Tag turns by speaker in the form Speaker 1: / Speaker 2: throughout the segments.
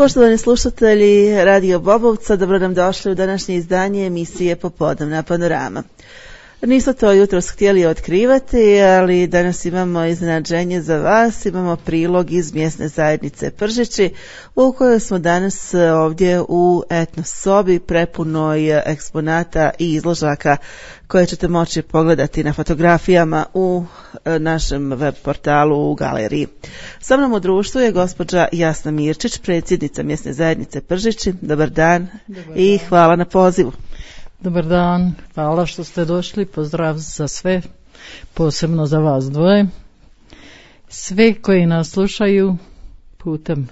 Speaker 1: Poštovani slušatelji Radio Bobovca, dobro nam došli u današnje izdanje emisije Popodnevna panorama. Nisu to jutros htjeli otkrivati, ali danas imamo iznenađenje za vas, imamo prilog iz mjesne zajednice Pržići, u kojoj smo danas ovdje u etno sobi prepunoj eksponata i izložaka koje ćete moći pogledati na fotografijama u našem web portalu u galeriji. Sa mnom u društvu je gospođa Jasna Mirčić, predsjednica mjesne zajednice Pržići. Dobar dan i hvala na pozivu.
Speaker 2: Dobar dan, hvala što ste došli, pozdrav za sve, posebno za vas dvoje. Sve koji nas slušaju putem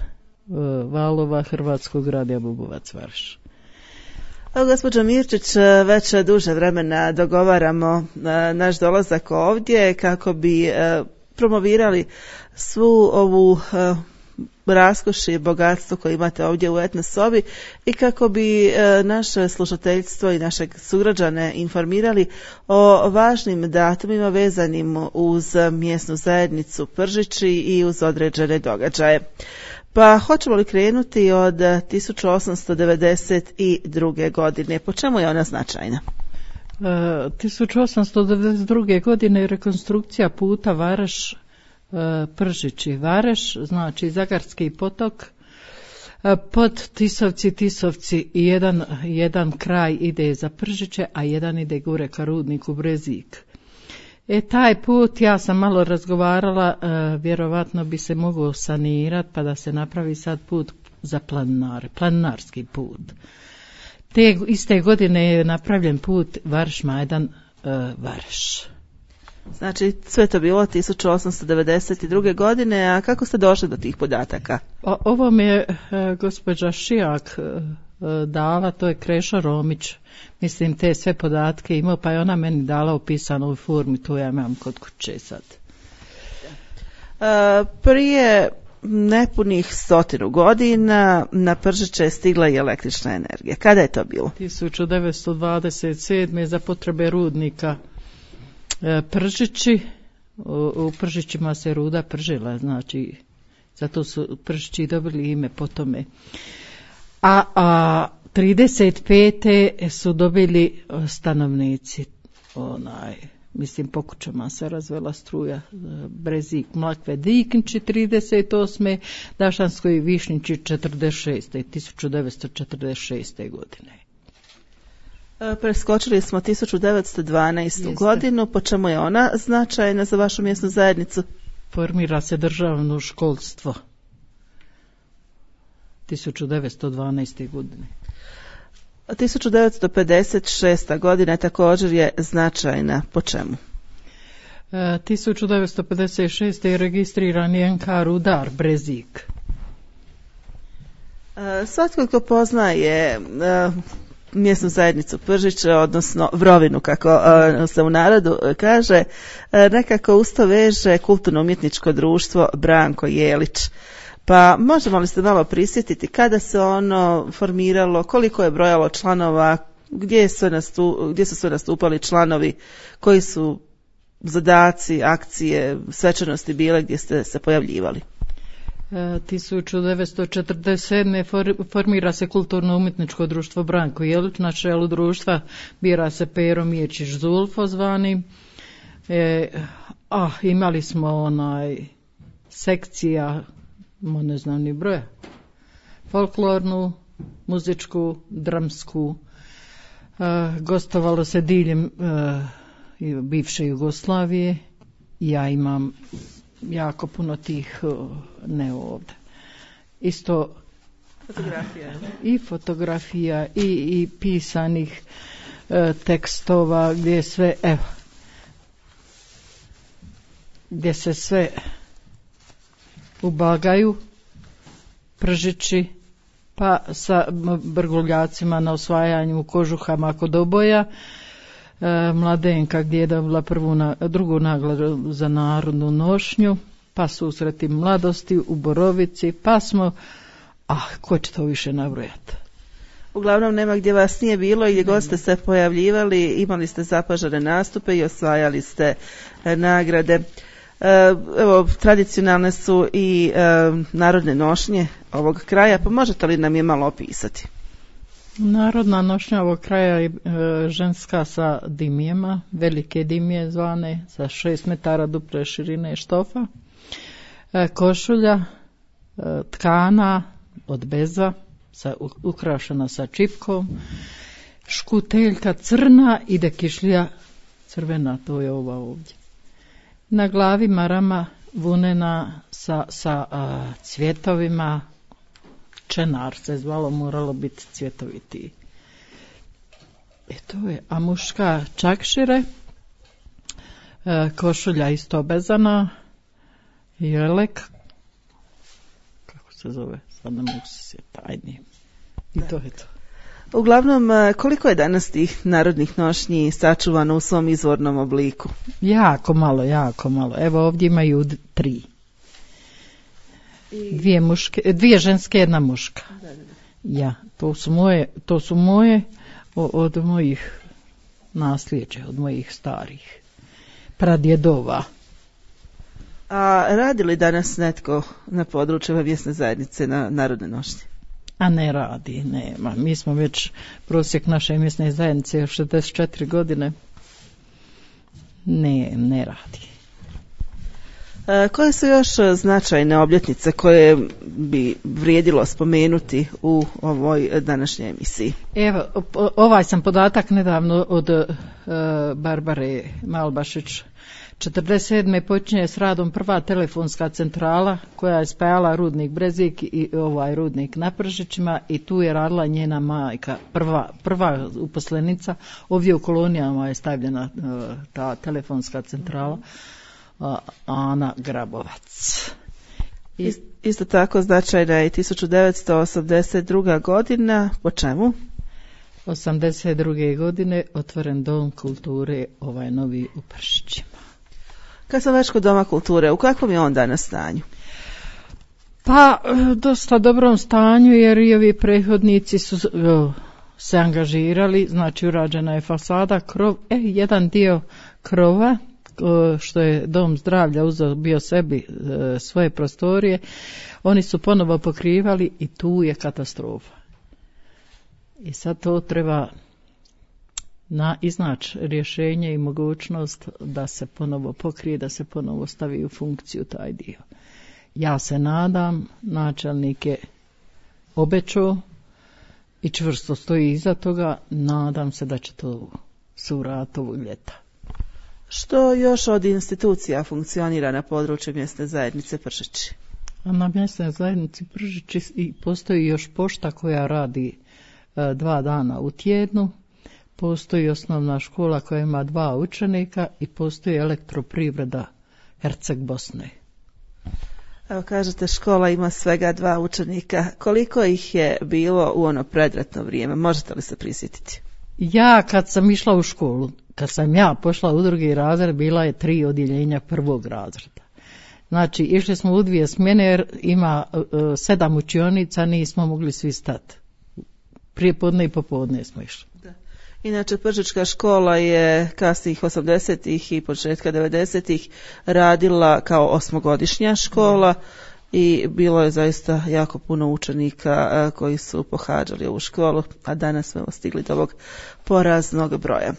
Speaker 2: valova Hrvatskog radija Bubovac Varš.
Speaker 1: Gospođo Mirčić, već duže vremena dogovaramo naš dolazak ovdje kako bi promovirali svu ovu raskoš i bogatstvo koje imate ovdje u etno sobi i kako bi naše slušateljstvo i našeg sugrađane informirali o važnim datumima vezanim uz mjesnu zajednicu Pržići i uz određene događaje. Pa hoćemo li krenuti od 1892. godine? Po čemu je ona značajna?
Speaker 2: 1892. godine je rekonstrukcija puta Vareš Pržići. Vareš znači Zagarski potok, pod Tisovci i jedan kraj ide za Pržiće, a jedan ide gore ka rudniku Brezik. Taj put, ja sam malo razgovarala, vjerovatno bi se mogao sanirati pa da se napravi sad put za planinarski put. Te iste godine je napravljen put Varš-Majdan Vareš.
Speaker 1: Znači, sve to bilo 1892. godine, a kako ste došli do tih podataka?
Speaker 2: Ovo mi je gospođa Šijak dala, to je Krešo Romić, mislim te sve podatke imao, pa je ona meni dala u pisanoj formi, to ja imam kod kuće sad.
Speaker 1: Prije nepunih 100 godina na Pržiće je stigla i električna energija. Kada je to bilo?
Speaker 2: 1927. za potrebe rudnika Pržići. U Pržićima se ruda pržila, znači zato su Pržići dobili ime po tome. A 35. su dobili stanovnici, mislim po kućama se razvela struja, Brezik, Mlakve, Diknići 38. Dašansko i Višnjići 1946. godine.
Speaker 1: Preskočili smo 1912. godinu, po čemu je ona značajna za vašu mjesnu zajednicu?
Speaker 2: Formira se državno školstvo 1912. godine.
Speaker 1: 1956. godina također je značajna, po čemu?
Speaker 2: 1956. je registriran NK rudar Brezik.
Speaker 1: Svatko ko poznaje mjesnu zajednicu Pržiće, odnosno Vrovinu, kako se u narodu kaže, nekako usto veže kulturno-umjetničko društvo Branko Jelić. Pa možemo li se malo prisjetiti kada se ono formiralo, koliko je brojalo članova, gdje su sve nastupali članovi, koji su zadaci, akcije, svečanosti bile gdje ste se pojavljivali?
Speaker 2: 1947. formira se kulturno-umjetničko društvo Branko Jelić, na čelu društva bira se Pero Miječić Zulfo zvani. Imali smo sekcija, ne znam ni broja, folklornu, muzičku, dramsku, gostovalo se diljem bivše Jugoslavije. Ja imam jako puno tih, ne ovdje, isto fotografija i pisanih tekstova gdje se sve ubagaju Pržići, pa sa Brguljacima na osvajanju u kožuhama kod oboja, Mladenka gdje je dobila drugu nagradu za narodnu nošnju, pa susreti mladosti u Borovici, pa smo, ko će to više nabrojati?
Speaker 1: Uglavnom nema gdje vas nije bilo i gdje god ste se pojavljivali, imali ste zapažene nastupe i osvajali ste nagrade. Evo, tradicionalne su i narodne nošnje ovog kraja, pa možete li nam je malo opisati?
Speaker 2: Narodna nošnja ovog kraja je ženska sa dimijema, velike dimije zvane, sa 6 metara duple širine štofa, košulja tkana od beza, ukrašena sa čipkom, škuteljka crna i dekišlija crvena, to je ova ovdje. Na glavi marama vunena sa cvjetovima, čenar se zvalo, moralo biti cvjetoviti. To je, a muška čakšire, košulja isto bezana, jelek, kako se zove, sad ne mogu se sjetiti, i to je to.
Speaker 1: Uglavnom, koliko je danas tih narodnih nošnji sačuvano u svom izvornom obliku?
Speaker 2: Jako malo. Evo ovdje imaju 3. 2 ženske, 1 muška. Ja, to su moje od mojih nasljeđa, od mojih starih pradjedova.
Speaker 1: A radi li danas netko na području mjesne zajednice na narodne nošnje?
Speaker 2: A ne radi, nema. Mi smo već prosjek naše mjesne zajednice 64 godine. Ne radi.
Speaker 1: Koje su još značajne obljetnice koje bi vrijedilo spomenuti u ovoj današnjoj emisiji?
Speaker 2: Evo, ovaj sam podatak nedavno od Barbare Malbašić. 47. počinje s radom prva telefonska centrala koja je spajala rudnik Brezik i ovaj rudnik na Pržićima i tu je radila njena majka, prva uposlenica. Ovdje u kolonijama je stavljena ta telefonska centrala, Ana Grabovac.
Speaker 1: Isto tako značajna je 1982. godina. Po čemu?
Speaker 2: 82. godine otvoren Dom kulture, ovaj novi u Pršićima.
Speaker 1: Kad sam već kod Doma kulture, u kakvom je on danas stanju?
Speaker 2: Pa, dosta dobrom stanju, jer i ovi prethodnici su se angažirali, znači urađena je fasada, krov, jedan dio krova, što je Dom zdravlja uzeo bio sebi svoje prostorije, oni su ponovo pokrivali i tu je katastrofa. I sad to treba iznaći rješenje i mogućnost da se ponovo pokrije, da se ponovo stavi u funkciju taj dio. Ja se nadam, načelnik je obećao i čvrsto stoji iza toga, nadam se da će to se uraditi ovog ljeta.
Speaker 1: Što još od institucija funkcionira na području mjesne zajednice Pržići?
Speaker 2: Na mjesnoj zajednici Pržići postoji još pošta koja radi 2 dana u tjednu, postoji osnovna škola koja ima 2 učenika i postoji elektroprivreda Herceg Bosne.
Speaker 1: Evo kažete, škola ima svega 2 učenika. Koliko ih je bilo u ono predratno vrijeme? Možete li se prisjetiti?
Speaker 2: Ja kad sam išla u školu, kad sam ja pošla u 2. razred, bila je 3 odjeljenja 1. razreda. Znači, išli smo u 2 smjene jer ima 7 učionica, nismo mogli svi stati. Prije podne i popodne smo išli.
Speaker 1: Da. Inače, Pržićka škola je kasnijih 80-ih i početka 90-ih radila kao 8-godišnja škola i bilo je zaista jako puno učenika koji su pohađali ovu školu, a danas smo stigli do ovog poraznog broja.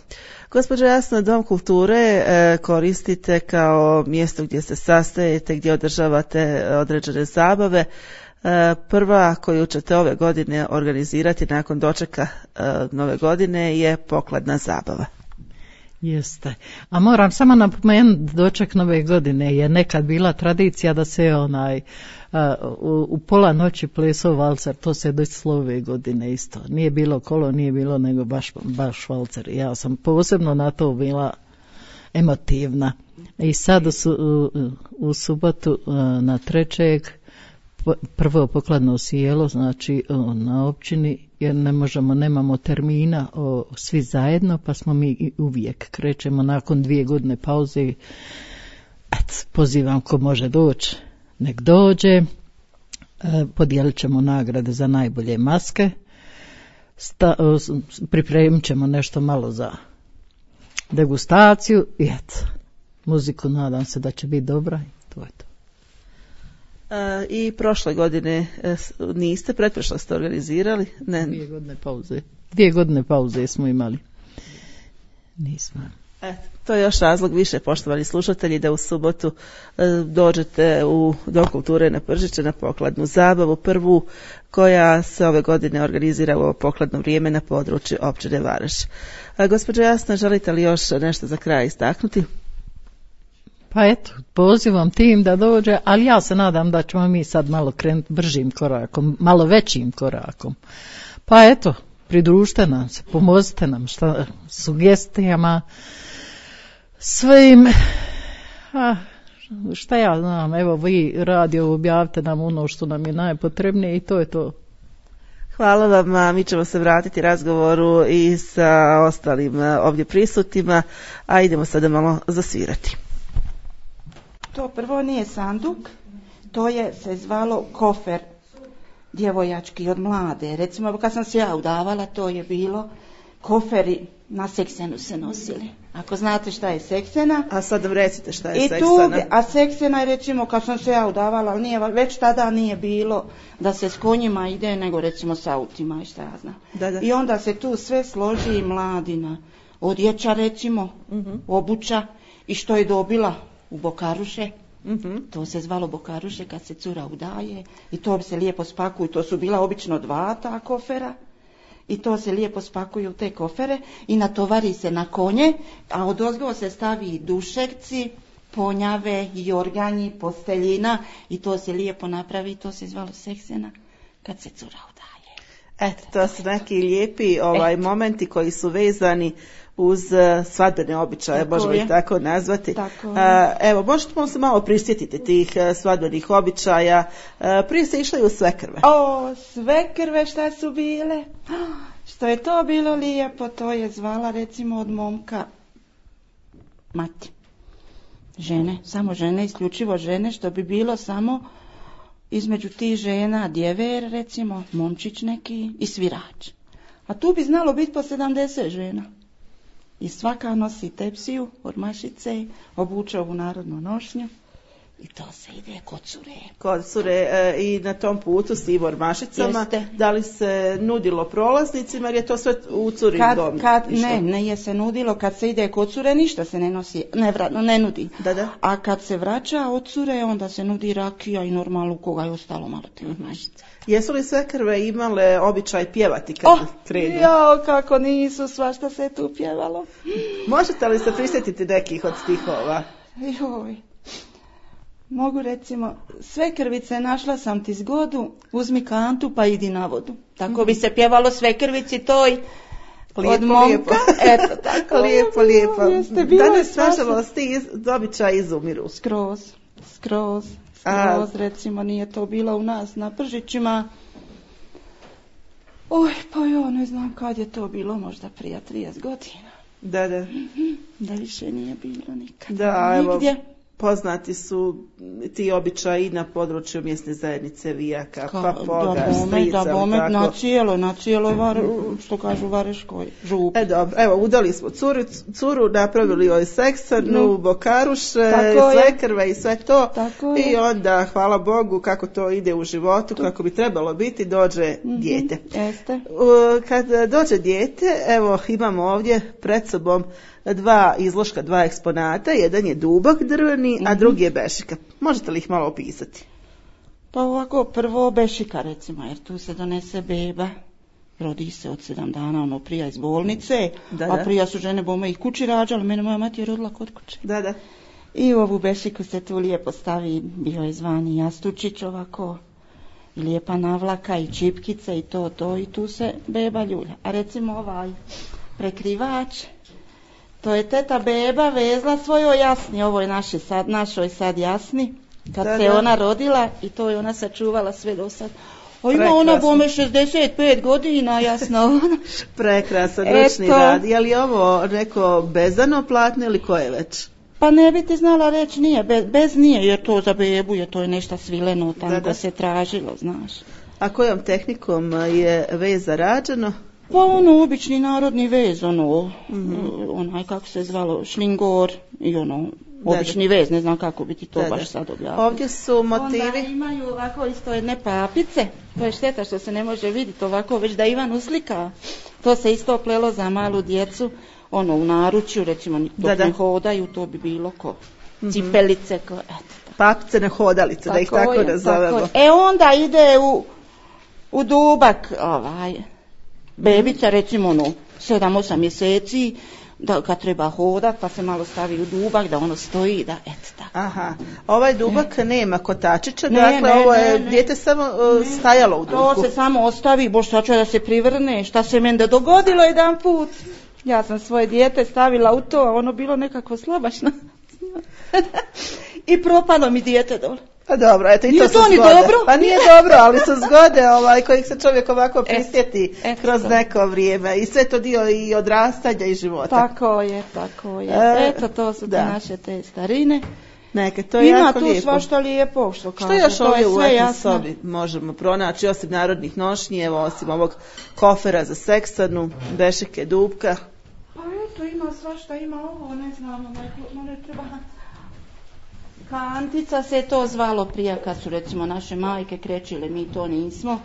Speaker 1: Gospođo Jasna, Dom kulture koristite kao mjesto gdje se sastajete, gdje održavate određene zabave. Prva koju ćete ove godine organizirati nakon dočeka nove godine je pokladna zabava.
Speaker 2: Jeste. A moram samo napomenuti, doček nove godine je nekad bila tradicija da se u pola noći plesao valcer, to se desilo ove godine isto. Nije bilo kolo, nije bilo nego baš valcer. Ja sam posebno na to bila emotivna. I sad u subotu na 3. prvo pokladno sjelo, znači na općini, jer nemamo termina svi zajedno, pa smo mi uvijek krećemo nakon 2 godine pauze. Pozivam ko može doći, nek dođe. Podijelit ćemo nagrade za najbolje maske. Pripremit ćemo nešto malo za degustaciju i muziku, nadam se da će biti dobra i to je to.
Speaker 1: I prošle godine niste, pretprošle ste organizirali? Ne.
Speaker 2: 2 godine pauze smo imali. Nismo.
Speaker 1: To je još razlog više, poštovani slušatelji, da u subotu dođete u Dom kulture na Pržiće na pokladnu zabavu, prvu koja se ove godine organizira u ovo pokladno vrijeme na području općine Varaš. Gospođo Jasna, želite li još nešto za kraj istaknuti?
Speaker 2: Pa eto, pozivam tim da dođe, ali ja se nadam da ćemo mi sad malo krenuti bržim korakom, malo većim korakom. Pa eto, pridružite nam se, pomozite nam sugestijama, svim, šta ja znam, evo vi radio objavite nam ono što nam je najpotrebnije i to je to.
Speaker 1: Hvala vam, mi ćemo se vratiti razgovoru i sa ostalim ovdje prisutnima, a idemo sada malo zasvirati.
Speaker 3: To prvo nije sanduk, to je se zvalo kofer djevojački od mlade. Recimo kad sam se ja udavala, to je bilo koferi na seksenu se nosili. Ako znate šta je seksena.
Speaker 1: A sad nam recite šta je seksena.
Speaker 3: A seksena je recimo kad sam se ja udavala, ali već tada nije bilo da se s konjima ide, nego recimo s autima i šta ja znam.
Speaker 1: Da.
Speaker 3: I onda se tu sve složi i mladina. Odjeća recimo, obuća i što je dobila u bokaruše. To se zvalo bokaruše kad se cura udaje i to bi se lijepo spakuju. To su bila obično 2 ta kofera i to se lijepo spakuju u te kofere i natovari se na konje, a odozgo se stavi dušekci, ponjave, jorganji, posteljina i to se lijepo napravi i to se zvalo seksena kad se cura udaje.
Speaker 1: Eto, to su neki lijepi momenti koji su vezani uz svadbene običaje, možemo ih tako nazvati. Evo, možemo se malo prisjetiti tih svadbenih običaja. Prije se išlo i u svekrve.
Speaker 3: Svekrve šta su bile? Što je to bilo lijepo, to je zvala recimo od momka mati. Žene, samo žene, isključivo žene, što bi bilo samo između tih žena djever, recimo, momčić neki i svirač. A tu bi znalo biti po 70 žena. I svaka nosi tepsiju od mašice, obuče ovu narodnu nošnju i to se ide kod cure.
Speaker 1: Kod cure i na tom putu s tim ormašicama,
Speaker 3: jeste. Da
Speaker 1: li se nudilo prolaznicima jer je to sve u curin dom?
Speaker 3: Ne je se nudilo, kad se ide kod cure ništa se ne nosi, ne nudi.
Speaker 1: Da.
Speaker 3: A kad se vraća od cure onda se nudi rakija i normalno koga je ostalo malo te ormašice.
Speaker 1: Jesu li svekrve imale običaj pjevati kad krenu?
Speaker 3: Kako nisu, svašta se tu pjevalo.
Speaker 1: Možete li se prisjetiti nekih od stihova?
Speaker 3: Mogu recimo, svekrvice našla sam ti zgodu, uzmi kantu pa idi na vodu. Tako bi se pjevalo svekrvici toj od momka. Eto, tako.
Speaker 1: Lijepo. Danas nažalost ti običaji izumiru.
Speaker 3: Skroz, recimo nije to bilo u nas na Pržićima. Pa ja ne znam kad je to bilo, možda prije 30 godina.
Speaker 1: Da.
Speaker 3: Da više nije bilo nikad.
Speaker 1: Da,
Speaker 3: nigdje.
Speaker 1: Evo, poznati su ti običaji na području mjestne zajednice Vijaka, Papoga, Strica.
Speaker 3: Da, na cijeloj, što kažu, Vareškoj župi.
Speaker 1: Dobro, evo, udali smo curu, napravili joj seksanu, bokaruše, svekrve i sve to. I onda, hvala Bogu, kako to ide u životu, kako bi trebalo biti, dođe dijete.
Speaker 3: Jeste.
Speaker 1: Kad dođe dijete, evo, imamo ovdje pred sobom 2 izloška, 2 eksponata, jedan je dubok drveni, a drugi je bešika. Možete li ih malo opisati?
Speaker 3: Pa ovako, prvo bešika recimo, jer tu se donese beba, rodi se od 7 dana, prija iz bolnice, a prija su žene bome ih kući rađale, mene moja mati je rodila kod kuće.
Speaker 1: Da.
Speaker 3: I u ovu bešiku se tu lijepo stavi, bio je zvani jastučić ovako, i lijepa navlaka i čipkice i to, i tu se beba ljulja. A recimo ovaj prekrivač, to je teta beba vezla svojoj jasni, ovo je našoj sad jasni, kad se ona rodila i to je ona sačuvala sve do sad. Ima ona bome 65 godina, jasno.
Speaker 1: Prekrasan ručni rad. Je li ovo neko bezano platno ili koje već?
Speaker 3: Pa ne bi ti znala reći, nije, bez nije, jer to za bebu je, to je nešto svileno, tamo se tražilo, znaš.
Speaker 1: A kojom tehnikom je veza rađeno?
Speaker 3: Pa obični narodni vez, onaj kako se zvalo, šlingor i Obični vez, ne znam kako bi ti to baš sad objavio.
Speaker 1: Ovdje su motivi.
Speaker 3: Onda imaju ovako isto jedne papice, to je šteta što se ne može vidjeti ovako, već da Ivan uslika. To se isto plelo za malu djecu, u naručju, recimo dok ne hodaju, to bi bilo ko cipelice,
Speaker 1: papice na hodalice, da ih tako nazovemo.
Speaker 3: Onda ide u dubak, bebica, recimo 7-8 mjeseci, da kad treba hodat, pa se malo stavi u dubak, da ono stoji, da tako.
Speaker 1: Aha, ovaj dubak nema kotačića, dakle ovo je dijete samo stajalo u dubku.
Speaker 3: To se samo ostavi, boš sad će da se privrne, šta se meni dogodilo jedan put. Ja sam svoje dijete stavila u to, a ono bilo nekako slabašno. I propalo mi dijete dole.
Speaker 1: Pa dobro, eto i to su
Speaker 3: zgode.
Speaker 1: Dobro? Pa nije dobro, ali su zgode kojih se čovjek ovako prisjeti kroz neko vrijeme. I sve to dio i odrastanja i života.
Speaker 3: Tako je. Eto, to su naše te starine.
Speaker 1: Neke, to je jako lijepo.
Speaker 3: Ima tu svašta lijepo, što kaže.
Speaker 1: Što još ovdje u letnoj sobi možemo pronaći, osim narodnih nošnji, evo, osim ovog kofera za seksanu, bešike, dupka?
Speaker 3: Pa eto, ima svašta, ima ovo, ne znam, ne treba... Kantica se to zvalo prije, kad su recimo naše majke krečile, mi to nismo.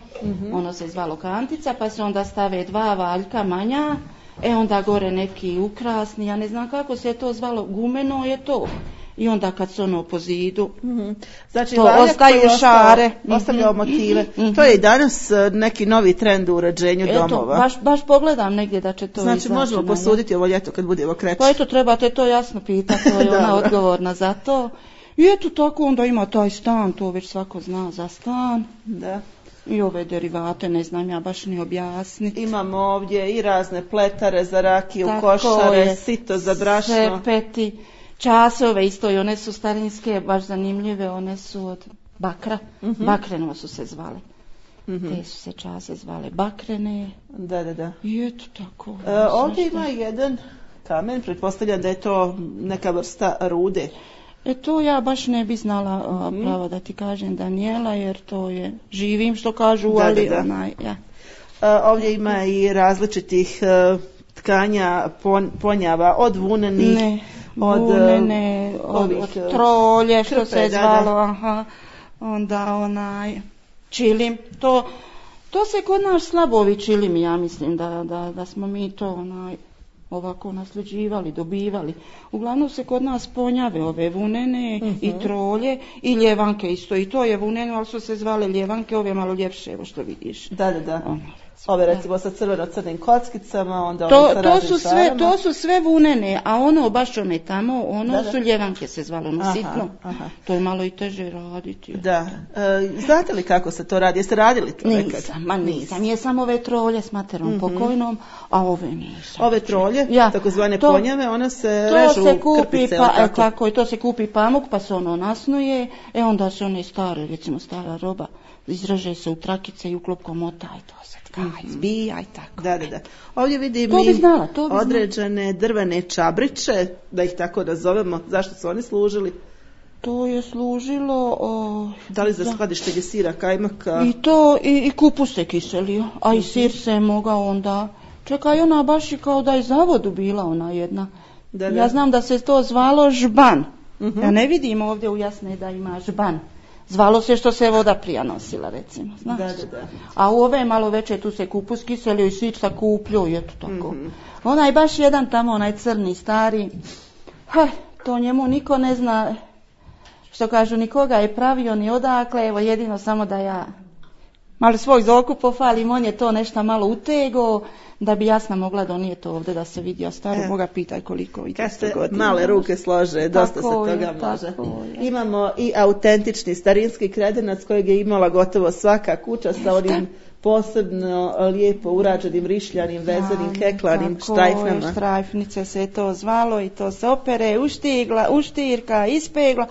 Speaker 3: Ono se zvalo kantica, pa se onda stave 2 valjka manja, onda gore neki ukrasni, ja ne znam kako se to zvalo, gumeno je to. I onda kad se ono po zidu,
Speaker 1: znači,
Speaker 3: to ostaju šare.
Speaker 1: Ostavljao motive. To je i danas neki novi trend u uređenju domova.
Speaker 3: Baš pogledam negdje da će to izaći.
Speaker 1: Znači možemo posuditi ovo ljeto kad budemo kreći.
Speaker 3: Pa eto, trebate to jasno pitati, to je ona odgovorna za to. I eto tako onda ima taj stan, to već svako zna za stan.
Speaker 1: Da.
Speaker 3: I ove derivate, ne znam ja baš ni objasniti.
Speaker 1: Imamo ovdje i razne pletare za rakiju, košare, sito za brašno.
Speaker 3: Sepeti, časove isto i one su starinske, baš zanimljive, one su od bakra. Bakreno su se zvale. Te su se čase zvale bakrene.
Speaker 1: Da.
Speaker 3: I eto tako.
Speaker 1: Ovdje ima jedan kamen, pretpostavljam da je to neka vrsta rude.
Speaker 3: To ja baš ne bi znala pravo da ti kažem, Daniela, jer to je živim što kažu, ali
Speaker 1: ovdje ima i različitih tkanja, ponjava, od vuneni, od
Speaker 3: trolje, što se zvalo, onda čilim, to se kod nas slabovi čilim, ja mislim da smo mi to ovako nasljeđivali, dobivali. Uglavnom se kod nas ponjave ove vunene i trolje i ljevanke isto. I to je vuneno, ali su se zvale ljevanke, ove malo ljepše, evo što vidiš.
Speaker 1: Da. Ove recimo sa crveno-crnim kockicama, onda
Speaker 3: to su sve vunene, a ono baš one tamo, su ljevanke se zvalo, sitno. To je malo i teže raditi.
Speaker 1: Da. Znate li kako se to radi? Jeste radili to nekad?
Speaker 3: Nisam. Jesam ove trolje s materom pokojnom, a ove nisam.
Speaker 1: Ove trolje, takozvane ponjave, one se režu krpice.
Speaker 3: Tako, i to se kupi pamuk, pa se ono nasnuje, onda se one stare, recimo stara roba, izraže se u trakice i uklopkom mota i to se zbija i tako.
Speaker 1: Da. Ovdje vidim određene drvene čabriće, da ih tako nazovemo. Zašto su oni služili?
Speaker 3: To je služilo...
Speaker 1: Da li za skladištenje sira, kajmaka?
Speaker 3: I to, i kupus se kiselio, a i sir se mogao onda... Čekaj, ona baš i kao da je za vodu bila ona jedna. Ja znam da se to zvalo žban. Ja ne vidim ovdje u Jasne da ima žban. Zvalo se što se voda prija nosila, recimo, znaš.
Speaker 1: Da.
Speaker 3: A u ove malo veće tu se kupus kiselio i svić sakupljio i eto tako. Onaj baš jedan tamo, onaj crni, stari, to njemu niko ne zna, što kažu, nikoga je pravio ni odakle, evo jedino samo da ja malo svoj zoku pofalim, on je to nešto malo utego, da bi Jasna mogla donijeti ovdje da se vidi, a staru moga pitaj koliko i 200 godina.
Speaker 1: Male ruke slože, dosta se toga može. Imamo i autentični starinski kredenac kojeg je imala gotovo svaka kuća sa onim posebno lijepo urađenim rišljanim, vezanim, heklanim štrajfnama.
Speaker 3: Štrajfnice se to zvalo i to se opere, uštirka, ispegla.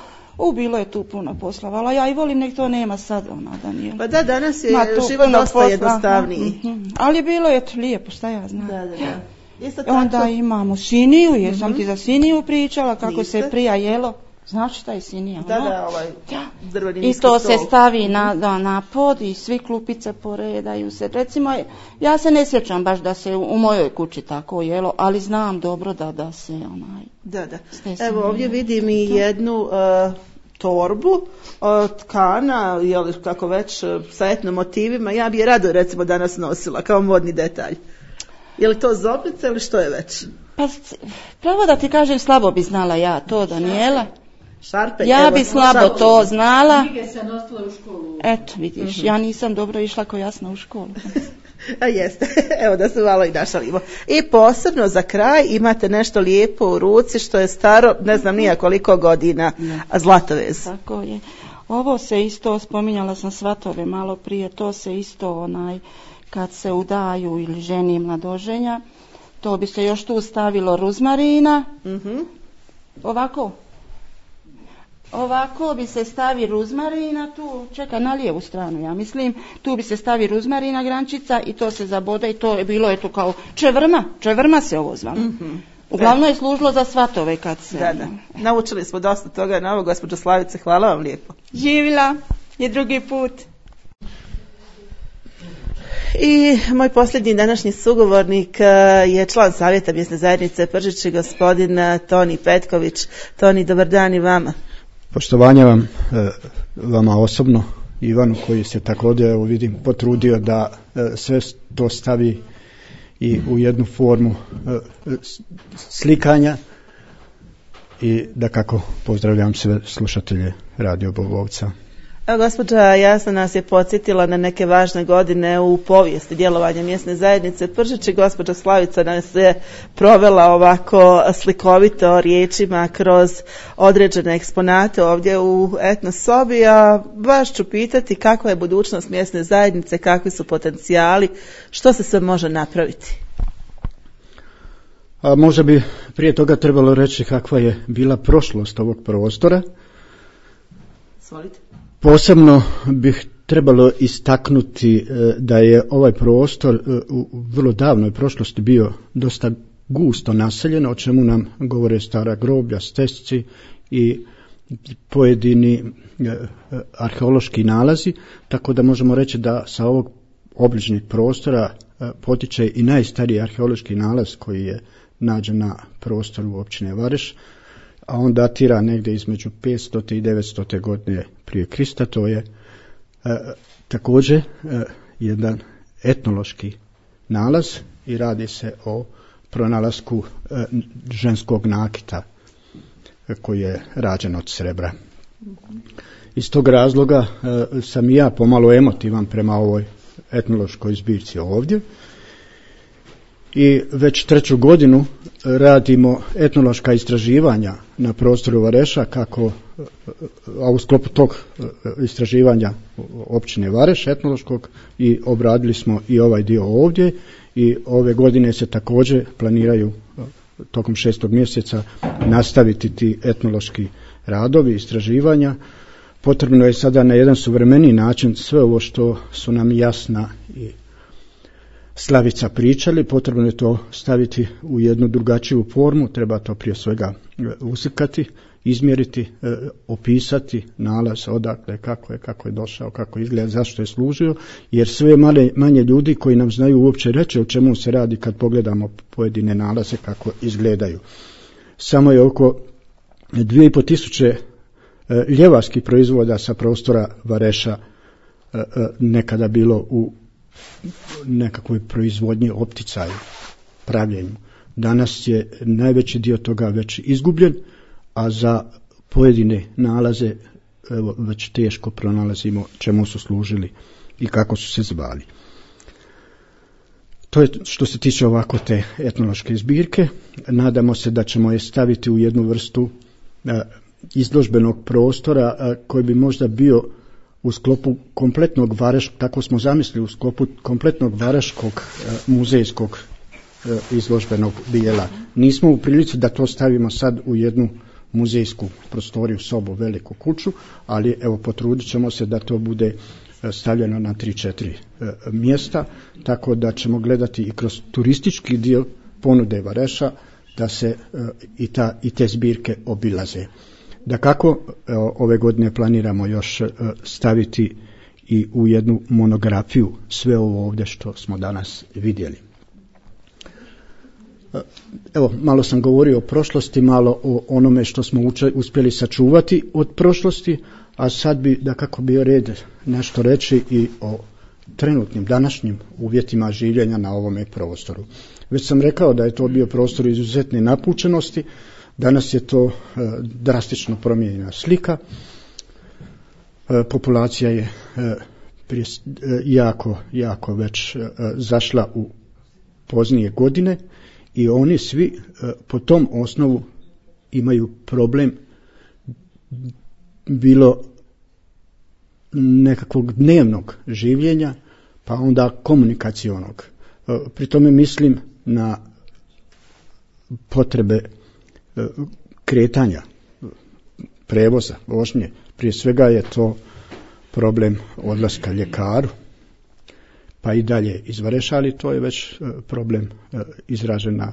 Speaker 3: Bilo je tu puno posla, ali ja i volim, nek to nema sad, Daniela.
Speaker 1: Pa da, danas je život dosta jednostavniji.
Speaker 3: Ali bilo je to lijepo, šta ja znam.
Speaker 1: Da.
Speaker 3: Onda imamo siniju, jesam ti za siniju pričala, kako se prija jelo. Znaš šta je sinija?
Speaker 1: Da, ovaj drveni
Speaker 3: i to
Speaker 1: stol.
Speaker 3: se stavi na pod i svi klupice poredaju se. Recimo, ja se ne sjećam baš da se u mojoj kući tako jelo, ali znam dobro da se
Speaker 1: Da. Evo ovdje vidim i jednu torbu tkana, jel, kako već, sa etno motivima. Ja bi je rado recimo danas nosila kao modni detalj. Je li to zoblica ili što je već?
Speaker 3: Pa pravo da ti kažem, slabo bi znala ja to, Danijela.
Speaker 1: Šarpe,
Speaker 3: ja bi slabo to znala.
Speaker 2: Knjige se nosile u školu.
Speaker 3: Eto, vidiš, ja nisam dobro išla ko Jasna u školu.
Speaker 1: A jeste, evo da se malo i našalimo. I posebno za kraj imate nešto lijepo u ruci što je staro, ne znam nija koliko godina, zlatovez.
Speaker 3: Tako je. Ovo se isto, spominjala sam svatove malo prije, to se isto kad se udaju ili ženi mladoženja, to bi se još tu stavilo ruzmarina. Ovako bi se stavi ruzmarina tu, čekaj, na lijevu stranu, ja mislim, tu bi se stavi ruzmarina grančica i to se zabode i to je bilo eto kao čevrma se ovo zvalo. Uglavnom je služilo za svatove kad se...
Speaker 1: Da. Naučili smo dosta toga na ovo, gospođo Slavice, hvala vam lijepo.
Speaker 3: Živila je drugi put.
Speaker 1: I moj posljednji današnji sugovornik je član Savjeta mjesne zajednice Pržići, gospodin Toni Petković. Toni, dobar dan i vama.
Speaker 4: Poštovanja vam, vama osobno, Ivanu koji se također, evo vidim, potrudio da sve to stavi i u jednu formu slikanja i da kako pozdravljam sve slušatelje Radio Bobovca.
Speaker 1: Gospođa Jasna nas je podsjetila na neke važne godine u povijesti djelovanja mjesne zajednice Pržići. Gospođa Slavica nas je provela ovako slikovito riječima kroz određene eksponate ovdje u etno sobi, a baš ću pitati kakva je budućnost mjesne zajednice, kakvi su potencijali, što se sve može napraviti.
Speaker 4: A možda bi prije toga trebalo reći kakva je bila prošlost ovog prostora.
Speaker 1: Svolite.
Speaker 4: Posebno bih trebalo istaknuti da je ovaj prostor u vrlo davnoj prošlosti bio dosta gusto naseljen, o čemu nam govore stara groblja, stesci i pojedini arheološki nalazi, tako da možemo reći da sa ovog obližnjeg prostora potiče i najstariji arheološki nalaz koji je nađen na prostoru općine Vareš, a on datira negdje između 500. i 900. godine prije Krista. To je također jedan etnološki nalaz i radi se o pronalasku ženskog nakita koji je rađen od srebra. Iz tog razloga sam i ja pomalo emotivan prema ovoj etnološkoj zbirci ovdje. I već 3. godinu radimo etnološka istraživanja na prostoru Vareša, a u sklopu tog istraživanja općine Vareš etnološkog i obradili smo i ovaj dio ovdje i ove godine se također planiraju tokom 6. mjeseca nastaviti ti etnološki radovi, istraživanja. Potrebno je sada na jedan suvremeniji način sve ovo što su nam Jasna i Slavica pričali, potrebno je to staviti u jednu drugačiju formu, treba to prije svega uslikati, izmjeriti, opisati nalaz odakle, kako je došao, kako izgleda, zašto je služio, jer sve manje ljudi koji nam znaju uopće reći o čemu se radi kad pogledamo pojedine nalaze kako izgledaju. Samo je oko 2500 ljevarskih proizvoda sa prostora Vareša nekada bilo u nekakvoj proizvodnji, opticaju, pravljenju. Danas je najveći dio toga već izgubljen, a za pojedine nalaze već teško pronalazimo čemu su služili i kako su se zvali. To je što se tiče ovako te etnološke zbirke. Nadamo se da ćemo je staviti u jednu vrstu izložbenog prostora koji bi možda bio u sklopu kompletnog tako smo zamislili, u sklopu kompletnog vareškog muzejskog izložbenog dijela. Nismo u prilici da to stavimo sad u jednu muzejsku prostoriju, sobu, veliku kuću, ali evo potrudit ćemo se da to bude stavljeno na 3-4 mjesta, tako da ćemo gledati i kroz turistički dio ponude Vareša da se i te zbirke obilaze. Dakako, ove godine planiramo još staviti i u jednu monografiju sve ovo ovdje što smo danas vidjeli. Evo, malo sam govorio o prošlosti, malo o onome što smo uspjeli sačuvati od prošlosti, a sad bi dakako bio red nešto reći i o trenutnim, današnjim uvjetima življenja na ovome prostoru. Već sam rekao da je to bio prostor izuzetne napučenosti, danas je to drastično promijenjena slika. Populacija je jako već zašla u poznije godine i oni svi po tom osnovu imaju problem bilo nekakvog dnevnog življenja, pa onda komunikacionog. Pri tome mislim na potrebe kretanja, prevoza, vožnje. Prije svega je to problem odlaska ljekaru, pa i dalje iz Vareša, ali to je već problem izražen na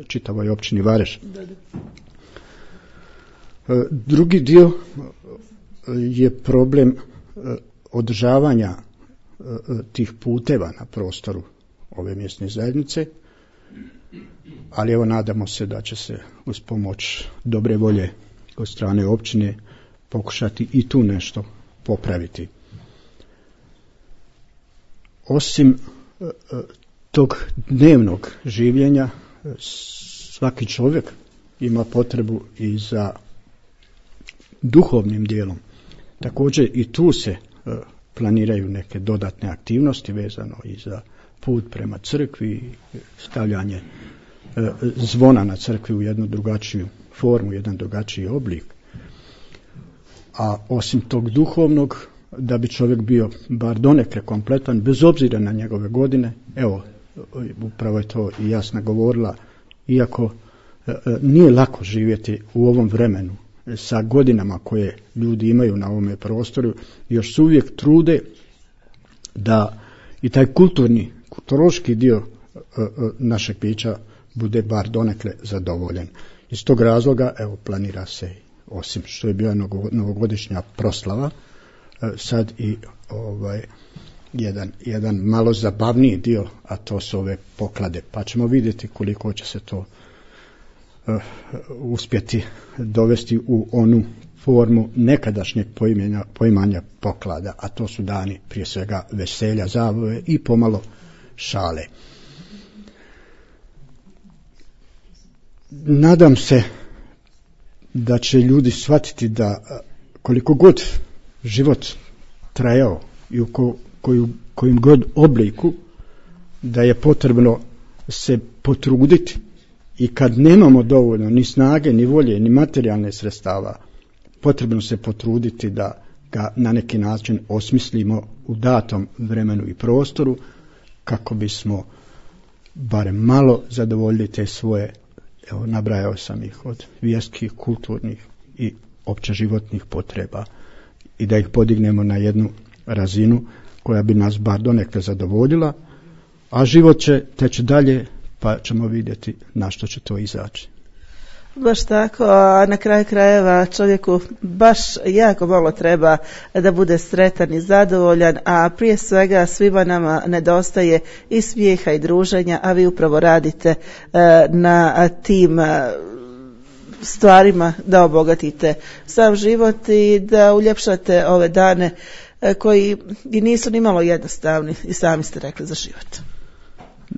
Speaker 4: čitavoj općini Vareš. Drugi dio je problem održavanja tih puteva na prostoru ove mjesne zajednice, ali evo nadamo se da će se uz pomoć dobre volje od strane općine pokušati i tu nešto popraviti. Osim tog dnevnog življenja, svaki čovjek ima potrebu i za duhovnim dijelom. Također i tu se planiraju neke dodatne aktivnosti vezano i za put prema crkvi, stavljanje zvona na crkvi u jednu drugačiju formu, jedan drugačiji oblik. A osim tog duhovnog, da bi čovjek bio bar donekle kompletan, bez obzira na njegove godine, evo, upravo je to i Jasna govorila, iako nije lako živjeti u ovom vremenu, sa godinama koje ljudi imaju na ovome prostoru, još se uvijek trude da i taj kulturološki dio našeg bića bude bar donekle zadovoljen. Iz tog razloga, evo, planira se, osim što je bila novogodišnja proslava, sad i jedan malo zabavniji dio, a to su ove poklade, pa ćemo vidjeti koliko će se to uspjeti dovesti u onu formu nekadašnjeg poimanja poklada, a to su dani prije svega veselja, zabave i pomalo šale. Nadam se da će ljudi shvatiti da koliko god život trajao i u kojim god obliku, da je potrebno se potruditi i kad nemamo dovoljno ni snage, ni volje, ni materijalne sredstava, potrebno se potruditi da ga na neki način osmislimo u datom vremenu i prostoru kako bismo barem malo zadovoljili te svoje, evo, nabrajao sam ih, od vjerskih, kulturnih i opće životnih potreba i da ih podignemo na jednu razinu koja bi nas bar donekle zadovoljila, a život će teći dalje, pa ćemo vidjeti na što će to izaći.
Speaker 1: Baš tako, a na kraju krajeva čovjeku baš jako malo treba da bude sretan i zadovoljan, a prije svega svima nama nedostaje i smijeha i druženja, a vi upravo radite na tim stvarima da obogatite sav život i da uljepšate ove dane koji i nisu ni malo jednostavni, i sami ste rekli, za život.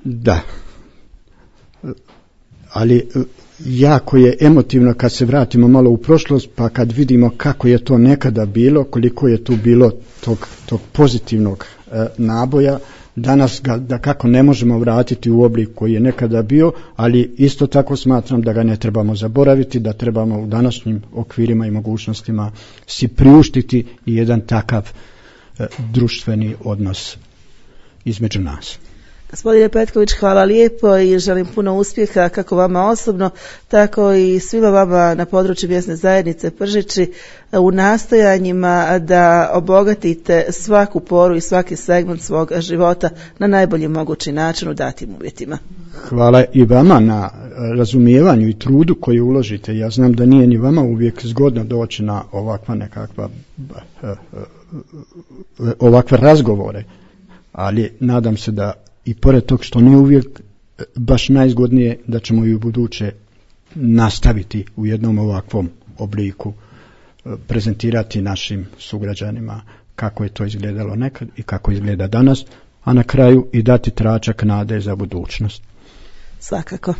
Speaker 4: Da, ali jako je emotivno kad se vratimo malo u prošlost, pa kad vidimo kako je to nekada bilo, koliko je tu bilo tog pozitivnog naboja. Danas ga da kako ne možemo vratiti u oblik koji je nekada bio, ali isto tako smatram da ga ne trebamo zaboraviti, da trebamo u današnjim okvirima i mogućnostima si priuštiti i jedan takav društveni odnos između nas.
Speaker 1: Gospodine Petković, hvala lijepo i želim puno uspjeha kako vama osobno, tako i svima vama na području mjesne zajednice Pržići u nastojanjima da obogatite svaku poru i svaki segment svog života na najbolji mogući način u datim uvjetima.
Speaker 4: Hvala i vama na razumijevanju i trudu koji uložite. Ja znam da nije ni vama uvijek zgodno doći na ovakve razgovore, ali nadam se da i pored tog što nije uvijek baš najzgodnije, da ćemo i u buduće nastaviti u jednom ovakvom obliku prezentirati našim sugrađanima kako je to izgledalo nekad i kako izgleda danas, a na kraju i dati tračak nade za budućnost.
Speaker 1: Svakako.